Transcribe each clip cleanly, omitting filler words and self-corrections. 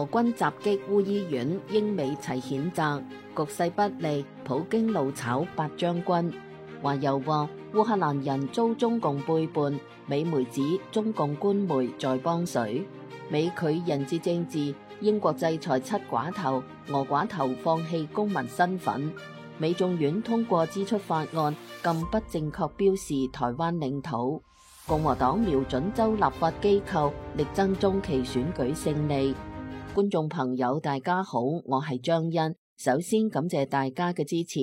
俄軍襲擊烏醫院，英美齊譴責，局勢不利，普京怒炒八將軍。華油話烏克蘭人遭中共背叛，美媒指中共官媒在幫水。美拒人質政治，英國制裁7寡頭，俄寡頭放棄公民身份。美眾院通過支出法案，禁不正確標示台灣領土。共和黨瞄準州立法機構，力爭中期選舉勝利。觀眾朋友大家好，我係張欣，首先感謝大家嘅支持。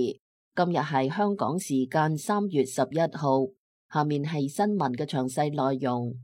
今日係香港時間3月11號，下面係新聞嘅詳細內容。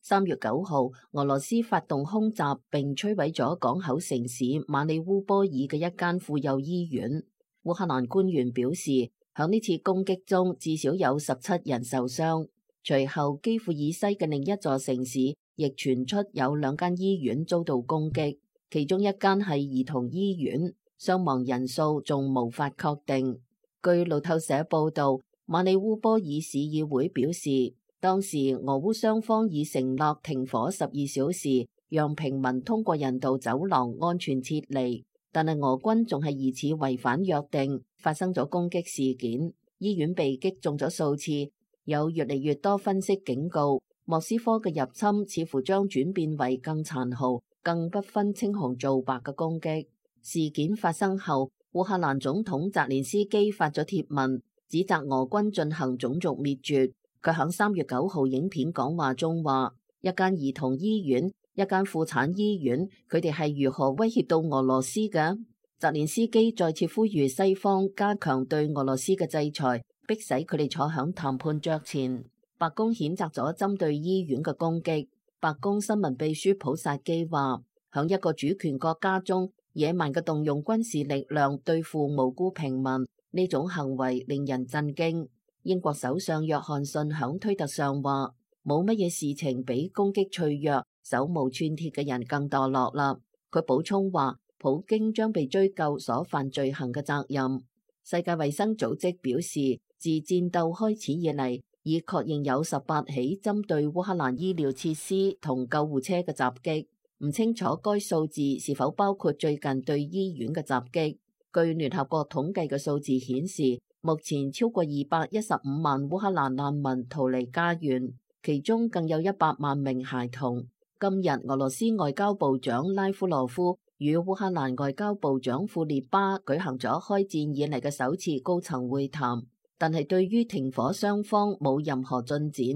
3月9號，俄羅斯發動空襲並摧毀咗港口城市馬里烏波爾嘅一間婦幼醫院。烏克蘭官員表示，響呢次攻擊中至少有17人受傷。隨後，基輔以西嘅另一座城市亦傳出有2間醫院遭到攻擊，其中一間係兒童醫院，傷亡人數仲無法確定。據路透社報道，馬里烏波爾市議會表示，當時俄烏雙方已承諾停火12小時，讓平民通過人道走廊安全撤離，但係俄軍仲係疑似違反約定，發生咗攻擊事件，醫院被擊中咗數次。有越嚟越多分析警告，莫斯科嘅入侵似乎將轉變為更殘酷、更不分青紅皂白嘅攻擊。事件發生後，烏克蘭總統澤連斯基發咗貼文，指責俄軍進行種族滅絕。佢喺3月9號影片講話中話，一間兒童醫院、一間婦產醫院，佢哋係如何威脅到俄羅斯嘅？澤連斯基再次呼籲西方加強對俄羅斯嘅制裁，迫使佢哋坐響談判桌前。白宮譴責咗針對醫院嘅攻擊。白宮新聞秘書普薩基話，響一個主權國家中，野蠻嘅動用軍事力量對付無辜平民，呢種行為令人震驚。英國首相約翰遜響推特上話，冇乜嘢事情比攻擊脆弱、手無寸鐵嘅人更墮落啦。佢補充話，普京將被追究所犯罪行嘅責任。世界衛生組織表示，自戰鬥開始以嚟，已確認有18起針對烏克蘭醫療設施同救護車嘅襲擊，唔清楚該數字是否包括最近對醫院嘅襲擊。據聯合國統計嘅數字顯示，目前超過215萬烏克蘭難民逃離家園，其中更有100萬名孩童。今日俄羅斯外交部長拉夫羅夫與烏克蘭外交部長庫列巴舉行咗開戰以嚟嘅首次高層會談，但係對於停火雙方冇任何進展。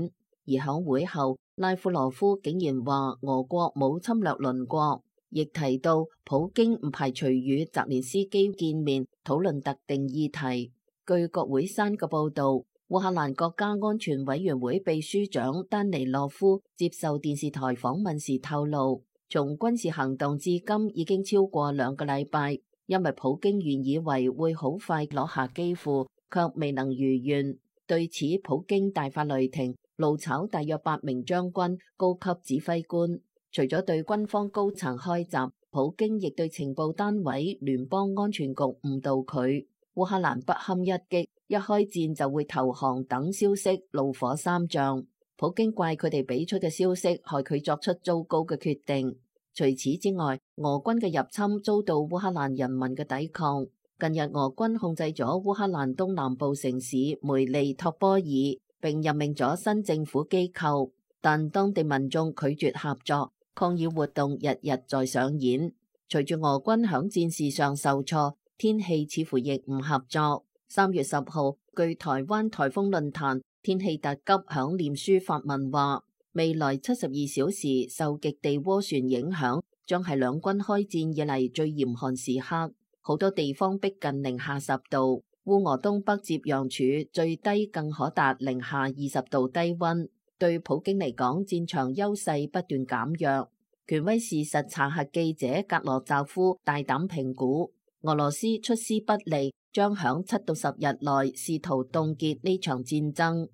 而響會後，拉夫羅夫竟然話俄國冇侵略鄰國，亦提到普京唔排除與澤連斯基見面討論特定議題。據國會山嘅報道，烏克蘭國家安全委員會秘書長丹尼洛夫接受電視台訪問時透露，從軍事行動至今已經超過2個禮拜，因為普京原以為會好快攞下基輔，卻未能如願。對此，普京大發雷霆，怒炒大約8名將軍、高級指揮官。除咗對軍方高層開襲，普京亦對情報單位、聯邦安全局誤導佢。烏克蘭不堪一擊，一開戰就會投降等消息怒火三丈。普京怪佢哋俾出嘅消息害佢作出糟糕嘅決定。除此之外，俄軍嘅入侵遭到烏克蘭人民嘅抵抗。近日俄軍控制咗烏克蘭東南部城市梅利托波爾，並任命咗新政府機構，但當地民眾拒絕合作，抗議活動日日在上演。隨住俄軍響戰事上受挫，天氣似乎亦唔合作。3月10號，據台灣颱風論壇天氣特急響臉書發文話，未來72小時受極地渦旋影響，將係兩軍開戰以嚟最嚴寒時刻，好多地方逼近-10度。烏俄東北接壤處最低更可達-20度低溫。對普京嚟講，戰場優勢不斷減弱。權威事實查核記者格羅扎夫大膽評估，俄羅斯出師不利，將響7到10日內試圖凍結呢場戰爭。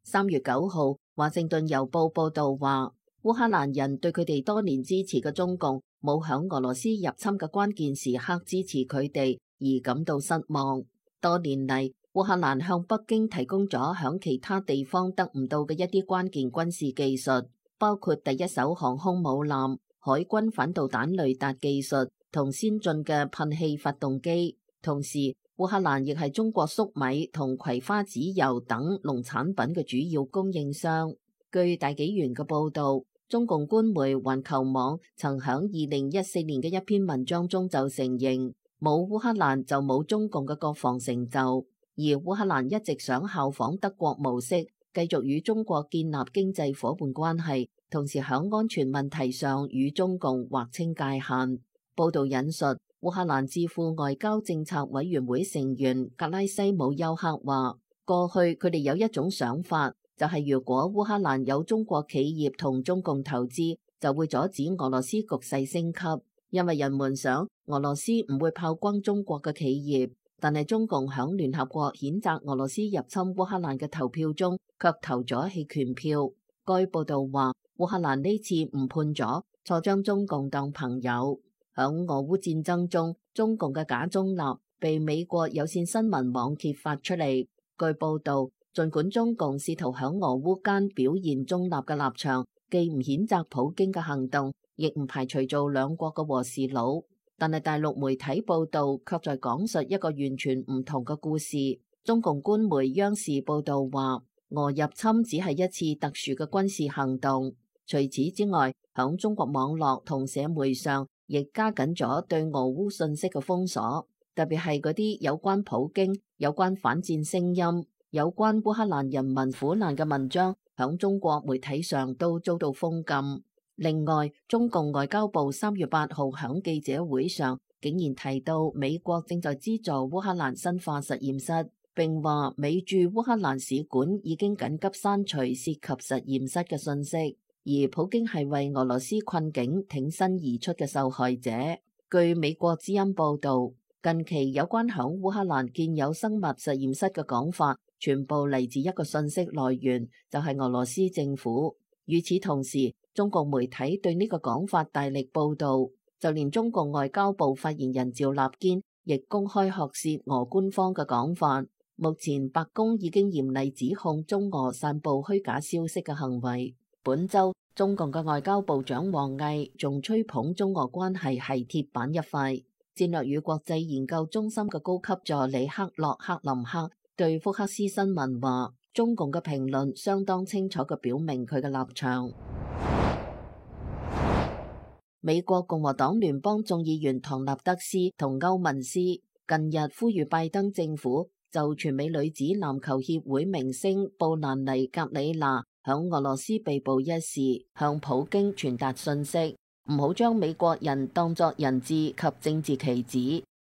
3月9號，華盛頓郵報報道話，烏克蘭人對佢哋多年支持嘅中共冇響俄羅斯入侵嘅關鍵時刻支持佢哋，而感到失望。多年嚟，烏克蘭向北京提供咗響其他地方得唔到嘅一啲關鍵軍事技術，包括第一艘航空母艦、海軍反導彈雷達技術同先進嘅噴氣發動機。同時，烏克蘭亦係中國粟米同葵花籽油等農產品嘅主要供應商。據大紀元嘅報導，中共官媒環球網曾響2014年嘅一篇文章中就承認，冇烏克蘭就冇中共嘅國防成就，而烏克蘭一直想效仿德國模式，繼續與中國建立經濟夥伴關係，同時響安全問題上與中共劃清界限。報導引述烏克蘭智庫外交政策委員會成員格拉西姆丘克話，過去佢哋有一種想法，就係如果烏克蘭有中國企業同中共投資，就會阻止俄羅斯局勢升級，因為人們想俄羅斯唔會炮轟中國嘅企業。但係中共響聯合國譴責俄羅斯入侵烏克蘭嘅投票中，卻投咗棄權票。該報道話，烏克蘭呢次誤判咗，錯將中共當朋友。響俄烏戰爭中，中共嘅假中立被美國有線新聞網揭發出嚟。據報道，儘管中共試圖響俄烏間表現中立嘅立場，既唔譴責普京嘅行動，亦唔排除做兩國嘅和事佬，但係大陸媒體報導卻在講述一個完全唔同嘅故事。中共官媒央視報導話，俄入侵只係一次特殊嘅軍事行動。除此之外，響中國網絡同社媒上，亦加緊咗對俄烏信息嘅封鎖，特別係嗰啲有關普京、有關反戰聲音、有關烏克蘭人民苦難嘅文章，響中國媒體上都遭到封禁。另外，中共外交部3月8號響記者會上，竟然提到美國正在資助烏克蘭生化實驗室，並話美駐烏克蘭使館已經緊急刪除涉及實驗室嘅信息。而普京係為俄羅斯困境挺身而出嘅受害者。據美國之音報導，近期有關響烏克蘭建有生物實驗室嘅講法，全部嚟自一個信息來源，就係俄羅斯政府。與此同時，中共媒體對呢個講法大力報導，就連中共外交部發言人趙立堅亦公開學舌俄官方嘅講法。目前白宮已經嚴厲指控中俄散佈虛假消息嘅行為。本週，中共嘅外交部長王毅仲吹捧中俄關係係鐵板一塊。戰略與國際研究中心嘅高級助理克洛克林克對福克斯新聞話，中共嘅評論相當清楚嘅表明佢嘅立場。美國共和黨聯邦眾議員唐納德斯同歐文斯近日呼籲拜登政府就全美女子籃球協會明星布蘭妮·格里娜響俄羅斯被捕一事，向普京傳達訊息，唔好將美國人當作人質及政治棋子。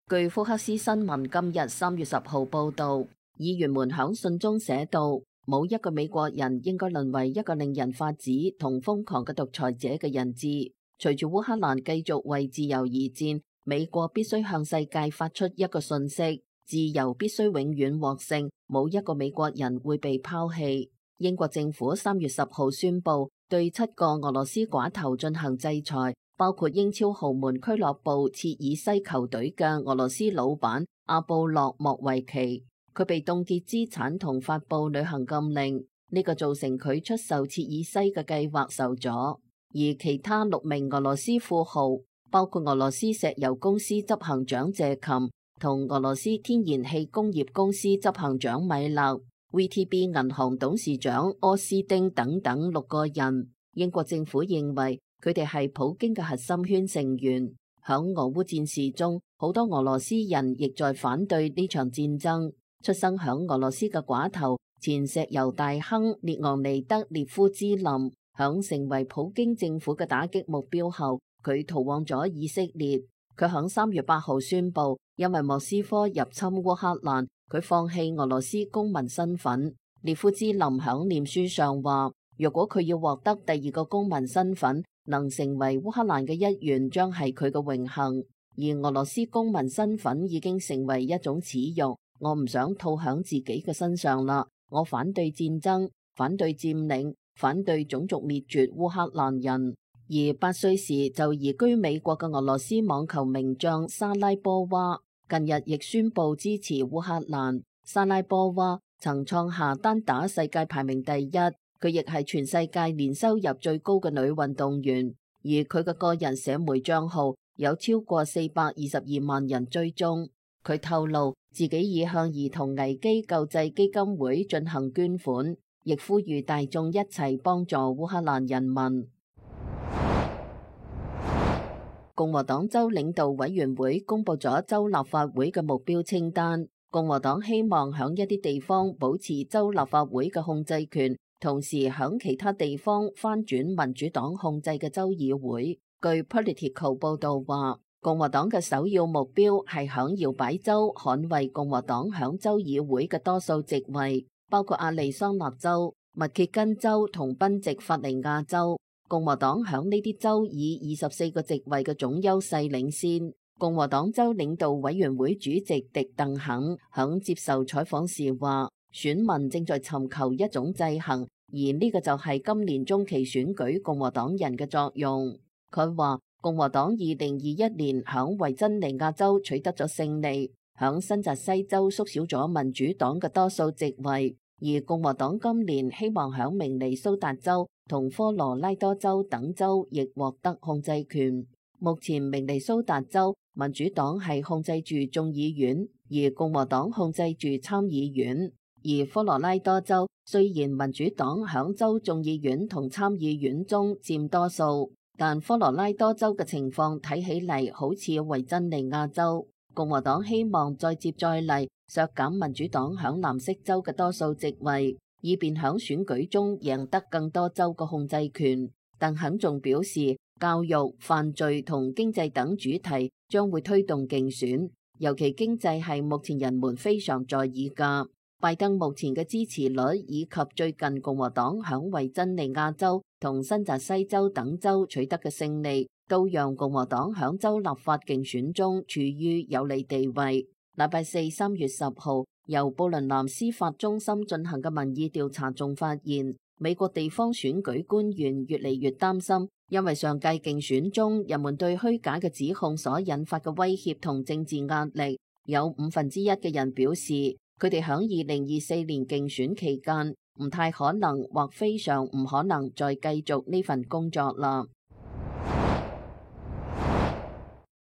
據福克斯新聞今日3月10號報道，議員們響信中寫道，冇一個美國人應該淪為一個令人髮指同瘋狂嘅獨裁者嘅人質。隨住烏克蘭繼續為自由而戰，美國必須向世界發出一個訊息：自由必須永遠獲勝，冇一個美國人會被拋棄。英國政府3月10號宣布對7個俄羅斯寡頭進行制裁，包括英超豪門俱樂部切爾西球隊嘅俄羅斯老闆阿布洛莫維奇，佢被凍結資產同發布旅行禁令，呢個造成佢出售切爾西嘅計劃受阻。而其他6名俄羅斯富豪，包括俄羅斯石油公司執行長謝琴同俄羅斯天然氣工業公司執行長米勒、VTB 銀行董事長柯斯丁等等6個人，英國政府認為佢哋係普京嘅核心圈成員。響俄烏戰事中，好多俄羅斯人亦在反對呢場戰爭。出生響俄羅斯嘅寡頭前石油大亨列昂尼德列夫茲林，響成為普京政府嘅打擊目標後，佢逃往咗以色列。佢響3月8號宣布，因為莫斯科入侵烏克蘭，佢放棄俄羅斯公民身份。列夫茲林響臉書上話，若果佢要獲得第2個公民身份，能成為烏克蘭嘅一員，將係佢嘅榮幸。而俄羅斯公民身份已經成為一種恥辱，我唔想套響自己嘅身上啦。我反對戰爭，反對佔領，反對種族滅絕烏克蘭人。而8歲時就移居美國嘅俄羅斯網球名將莎拉波娃，近日亦宣布支持烏克蘭。莎拉波娃曾創下單打世界排名第一，佢亦係全世界年收入最高嘅女運動員，而佢嘅個人社媒賬號有超過422萬人追蹤。佢透露自己已向兒童危機救濟基金會進行捐款，亦呼籲大眾一齊幫助烏克蘭人民。共和黨州領導委員會公布咗州立法會嘅目標清單。共和黨希望響一啲地方保持州立法會嘅控制權，同時響其他地方翻轉民主黨控制嘅州議會。據 Politico 報道話，共和黨嘅首要目標係響搖擺州捍衛共和黨響州議會嘅多數席位，包括亞利桑那州、密歇根州同賓夕法尼亞州。共和黨響呢啲州以24個席位嘅總優勢領先。共和黨州領導委員會主席迪鄧肯響接受採訪時話，選民正在尋求一種制衡，而呢個就係今年中期選舉共和黨人嘅作用。佢話共和黨2021年響維珍尼亞州取得咗勝利，響新澤西州縮小咗民主黨嘅多數席位，而共和黨今年希望響明尼蘇達州同科羅拉多州等州亦獲得控制權。目前明尼蘇達州民主黨係控制住眾議院，而共和黨控制住參議院。而科羅拉多州雖然民主黨響州眾議院同參議院中佔多數，但科羅拉多州嘅情況睇起嚟好似維珍尼亞州。共和黨希望再接再厲，削減民主黨響藍色州嘅多數席位，以便響選舉中贏得更多州嘅控制權。鄧肯仲表示，教育、犯罪同經濟等主題將會推動競選，尤其經濟係目前人們非常在意㗎。拜登目前嘅支持率以及最近共和黨響維珍尼亞州同新澤西州等州取得嘅勝利，都讓共和黨響州立法競選中處於有利地位。禮拜四3月10號，由布倫南司法中心進行嘅民意調查仲發現，美國地方選舉官員越嚟越擔心，因為上屆競選中人們對虛假嘅指控所引發嘅威脅同政治壓力，有1/5嘅人表示，佢哋響2024年競選期間唔太可能或非常唔可能再繼續呢份工作啦。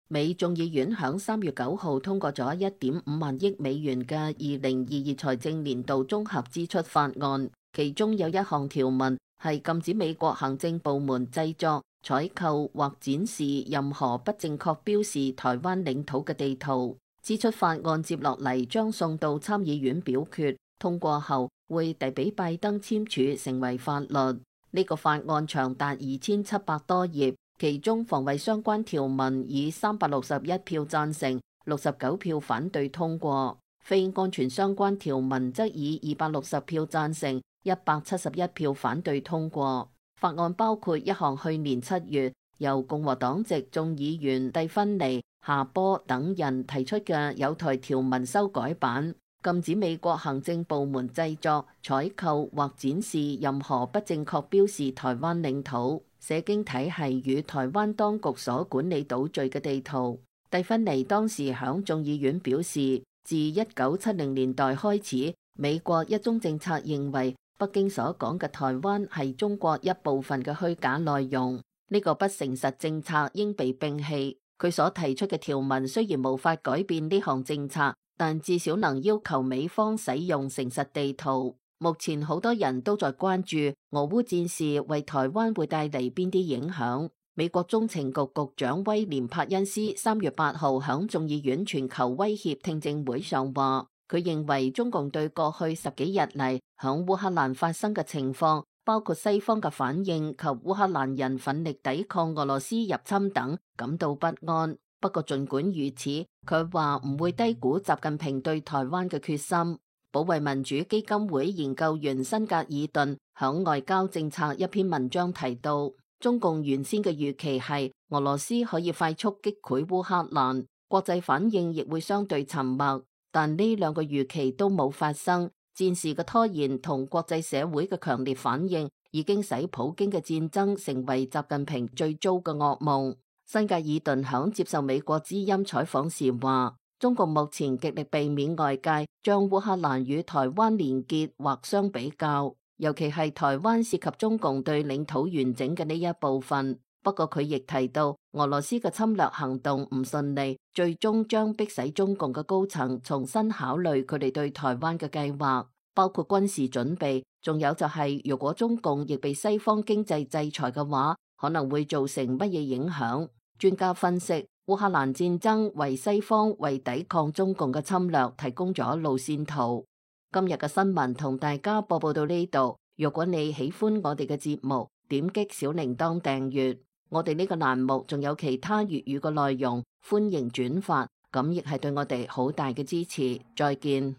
美眾議院響3月9號通過咗1.5萬億美元嘅2022財政年度綜合支出法案，其中有一項條文係禁止美國行政部門製作、採購或展示任何不正確標示台灣領土嘅地圖。支出法案接落嚟將送到參議院表決，通過後會遞俾拜登簽署成為法律。呢個法案長達2700多頁，其中防衛相關條文以361票贊成、69票反對通過，非安全相關條文則以260票贊成、171票反對通過。法案包括一項去年7月由共和黨籍眾議員蒂芬尼、夏波等人提出嘅有台條文修改版，禁止美國行政部門製作、採購或展示任何不正確標示台灣領土、社經體系與台灣當局所管理島嶼嘅地圖。蒂芬尼當時響眾議院表示，自1970年代開始，美國一中政策認為北京所講嘅台灣係中國一部分嘅虛假內容，呢個不誠實政策應被摒棄。佢所提出嘅條文雖然無法改變呢項政策，但至少能要求美方使用誠實地圖。目前好多人都在關注俄烏戰事為台灣會帶嚟邊啲影響。美國中情局局長威廉帕恩斯3月8號響眾議院全球威脅聽證會上話，佢認為中共對過去10幾日嚟響烏克蘭發生嘅情況，包括西方嘅反應及烏克蘭人奮力抵抗俄羅斯入侵等，感到不安。不過儘管如此，佢話唔會低估習近平對台灣嘅決心。保衛民主基金會研究員辛格爾頓響外交政策一篇文章提到，中共原先嘅預期係俄羅斯可以快速擊潰烏克蘭，國際反應亦會相對沉默，但呢兩個預期都冇發生。戰事嘅拖延同國際社會嘅強烈反應，已經使普京嘅戰爭成為習近平最糟嘅噩夢。辛格爾頓響接受美國之音採訪時話，中共目前極力避免外界將烏克蘭與台灣連結或相比較，尤其係台灣涉及中共對領土完整嘅呢一部分。不過佢亦提到，俄羅斯嘅侵略行動唔順利，最終將迫使中共嘅高層重新考慮佢哋對台灣嘅計劃，包括軍事準備，仲有就係如果中共亦被西方經濟制裁嘅話，可能會造成乜嘢影響。專家分析，烏克蘭戰爭為西方為抵抗中共嘅侵略提供咗路線圖。今日嘅新聞同大家播報到呢度。如果你喜歡我哋嘅節目，點擊小鈴鐺訂閱。我哋呢個欄目仲有其他粵語嘅內容，歡迎轉發，咁亦係對我哋好大嘅支持。再見。